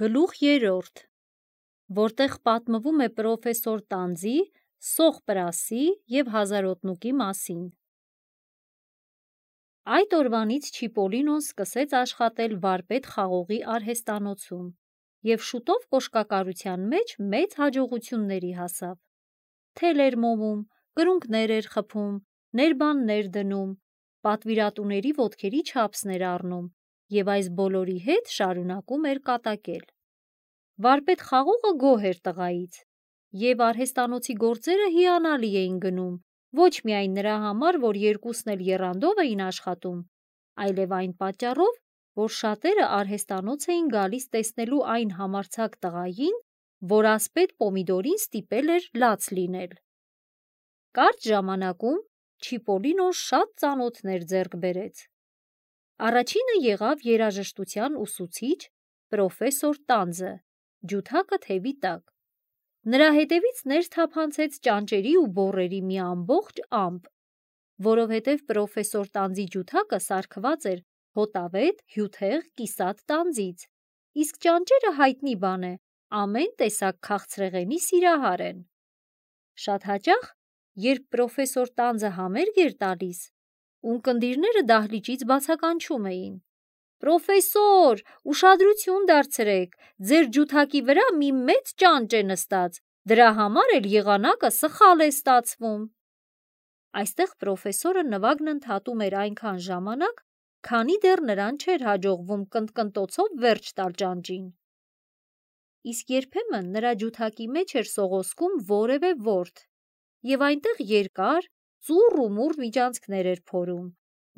Գլուխ 3, որտեղ պատմվում է պրոֆեսոր Տանձի, Սոխպրասի և Հազարոտնուկի մասին։ Այդ օրվանից Չիպոլինոն սկսեց աշխատել վարպետ խաղողի արհեստանոցում և շուտով կոշկակարության մեջ մեծ հաջողությունների հասավ։ Թել էր մոմում, կրունկներ էր խփում, ներբաններ դնում, պատվիրատուների ոտքերի չափսներ առնում և այս բոլորի հետ շարունակում էր կատակել։ Վարպետ խաղողը գոհ էր տղայից, և արհեստանոցի գործերը հիանալի էին գնում, ոչ միայն նրա համար, որ երկուսն էլ եռանդով էին աշխատում, այլև այն պատճառով, որ շատերը արհեստանոց էին գալիս տեսնելու այն համարձակ տղային, որ ասպետ Պոմիդորին ստիպել էր լաց լինել։ Կարճ ժամանակում Չիպոլինոն շատ ծանոթներ ձեռք բերեց։ Առաջինը եղավ երաժշտության ուսուցիչ պրոֆեսոր Տանձը, ջութակը թևի տակ։ Նրա հետևից ներս թափանցեց ճանճերի ու բոռերի մի ամբողջ ամպ, որովհետև պրոֆեսոր Տանձի ջութակը սարքված էր հոտավետ, հյութեղ, կիսատ տանձից, իսկ ճանճերը հայտնի բան է, ամեն տեսակ քաղցրեղենի սիրահար են։ Շատ հաճախ, երբ պրոֆեսոր Տանձը համերգ էր տալիս, ունկնդիրները դահլիճից բացականչում էին. «Պրոֆեսոր, ուշադրություն դարձրեք, ձեր ջութակի վրա մի մեծ ճանճ է նստած, դրա համար էլ եղանակը սխալ է ստացվում»։ Այստեղ պրոֆեսորը նվագն ընդհատում էր այնքան ժամանակ, քանի դեռ նրան չէր հաջողվում կնտկնտոցով վերջ տալ ճանճին։ Իսկ երբեմն նրա ջութակի մեջ էր սողոսկում որևէ ворթ, և այնտեղ երկար, ծուռ ու մուռ միջանցքներ էր փորում,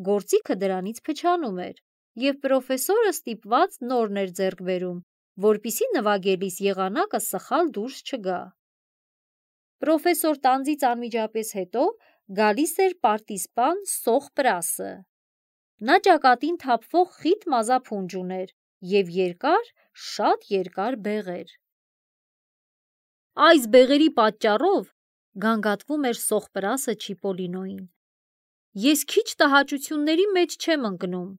գործիքը դրանից փչանում էր, և պրոֆեսորը ստիպված նորն էր ձեռք բերում, որպեսզի նվագելիս եղանակը սխալ դուրս չգա։ Պրոֆեսոր Տանձից անմիջապես հետո գալիս էր պարտիզպան Սոխպրասը։ Նա ճակատին թափվող խիտ մազափունջ ուներ և երկար, շատ երկար բեղեր։ «Այս բեղերի պատճառով, — գանգատվում էր Սոխպրասը Չիպոլինոյին, — ես քիչ տհաճությունների մեջ չեմ ընկնում։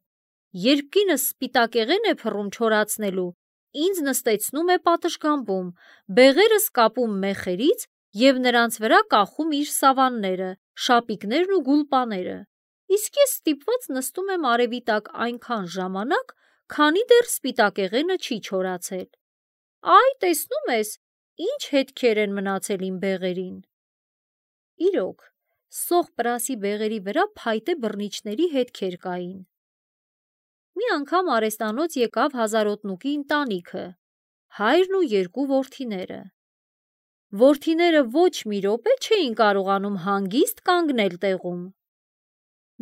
Երբ կինս սպիտակեղեն է փռում չորացնելու, ինձ նստեցնում է պատշգամբում, բեղերս կապում մեխերից և նրանց վրա կախում իր սավանները, շապիկներն ու գուլպաները, իսկ ես ստիպված նստում եմ արևի տակ այնքան ժամանակ, քանի դեռ սպիտակեղենը չի չորացել։ Այ, տեսնում ես, ինչ հետքեր են մնացել իմ բեղերին»։ Իրոք, Սոխպրասի բեղերի վրա փայտե բռնիչների հետքեր կային։ Մի անգամ արհեստանոց եկավ Հազարոտնուկի ընտանիքը, հայրն ու երկու որդիները։ Որդիները ոչ մի րոպե չէին կարողանում հանգիստ կանգնել տեղում։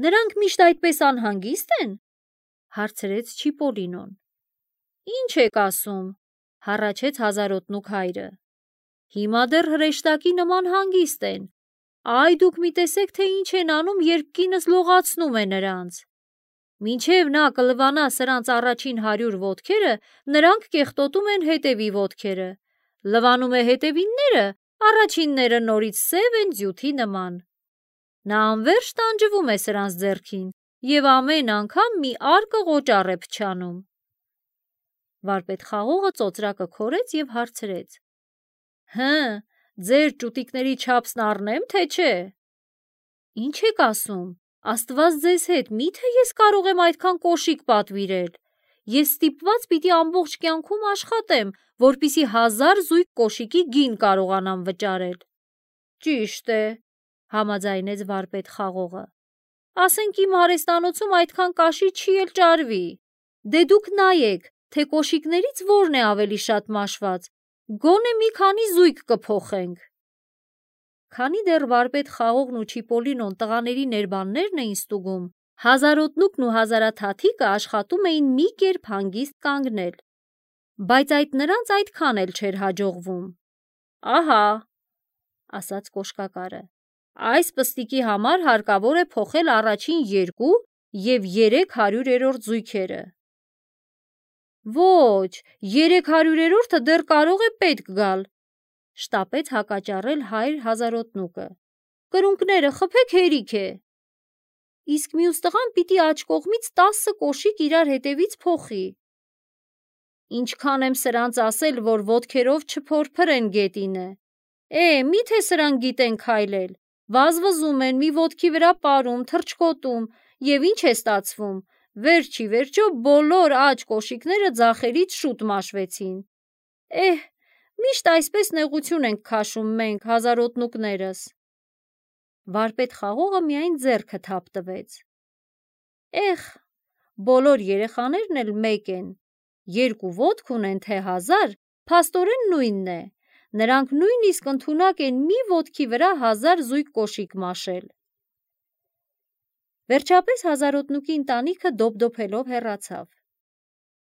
«Նրանք միշտ այդպես անհանգիստ են», - հարցրեց Չիպոլինոն։ «Ինչ եք ասում», - հառաչեց Հազարոտնուկ հայրը։ «Հիմա դեռ հրեշտակի նման հանգիստ են։ Այ դուք մի տեսեք, թե ինչ են անում, երբ կինս լողացնում է նրանց։ Մինչև նա կլվանա սրանց առաջին 100 ոտքերը, նրանք կեղտոտում են հետևի ոտքերը, լվանում է հետևինները, առաջինները նորից սև են ձյութի նման։ Նա անվերջ տանջվում է սրանց ձեռքին և ամեն անգամ մի արկը ղոճառ է փչանում»։ Վարպետ խաղողը ծոծրակը քորեց և հարցրեց. «Հը, ձեր ճուտիկների չափսն առնեմ, թե չէ»։ «Ինչ եք ասում, Աստված ձեզ հետ, մի՞թե ես կարող եմ այդքան կոշիկ պատվիրել։ Ես ստիպված պիտի ամբողջ կյանքում աշխատեմ, որպեսզի 1000 զույգ կոշիկի գին կարողանամ վճարել»։ «Ճիշտ է», - համաձայնեց վարպետ խաղողը։ «Ասենք իմ արհեստանոցում այդքան կաշի չի էլ ճարվի։ Դե դուք նայեք, թե կոշիկներից որն է ավելի շատ մաշված, գոնե մի քանի զույգ կփոխենք»։ Քանի դեռ վարպետ խաղողն ու Չիպոլինոն տղաների ներբաններն էին ստուգում, Հազարոտնուկն ու Հազարաթաթիկը աշխատում էին մի կերպ հանգիստ կանգնել, բայց այդ նրանց այդքան էլ չէր հաջողվում։ «Ահա», - ասաց կոշկակարը, «այս պստիկի համար հարկավոր է փոխել առաջին 2 և 300-րդ զույգերը»։ «Ոչ, 300-րդը դեռ կարող է պետք գալ», - շտապեց հակաճառել հայր Հազարոտնուկը։ «Կրունկները խփեք, հերիք է»։ «Իսկ մյուս տղան պիտի աջ կողմից 10 կոշիկ իրար հետևից փոխի»։ Ինչքան եմ սրանց ասել, որ ոտքերով չփորփրեն գետինը։ Միթե սրանք գիտեն քայլել։ Վազվզում են, մի ոտքի վրա պարում, թռչկոտում, և ինչ է ստացվում։ Վերջի վերջո բոլոր աջ կոշիկները ձախերից շուտ մաշվեցին։ Միշտ այսպես նեղություն ենք քաշում մենք, հազարոտնուկներս։ Վարպետ խաղողը միայն ձեռքը թափ տվեց։ Բոլոր երեխաներն էլ մեկ են, երկու ոտք ունեն, թե 1000, փաստորեն նույնն է։ Նրանք նույնիսկ ընդունակ են մի ոտքի վրա 1000 զույգ կոշիկ մաշել։ Վերջապես հազարոտնուկի ընտանիքը դոփդոփելով հեռացավ։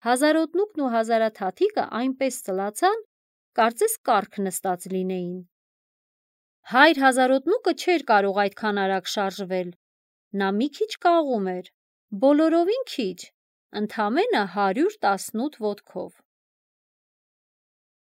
Հազարոտնուկն ու հազարաթաթիկը այնպես ծլացան, կարծես կառք նստած լինեին։ Հայր հազարոտնուկը չէր կարող այդքան արագ շարժվել։ Նա մի քիչ կաղում էր, բոլորովին քիչ, ընդամենը 118 ոտքով։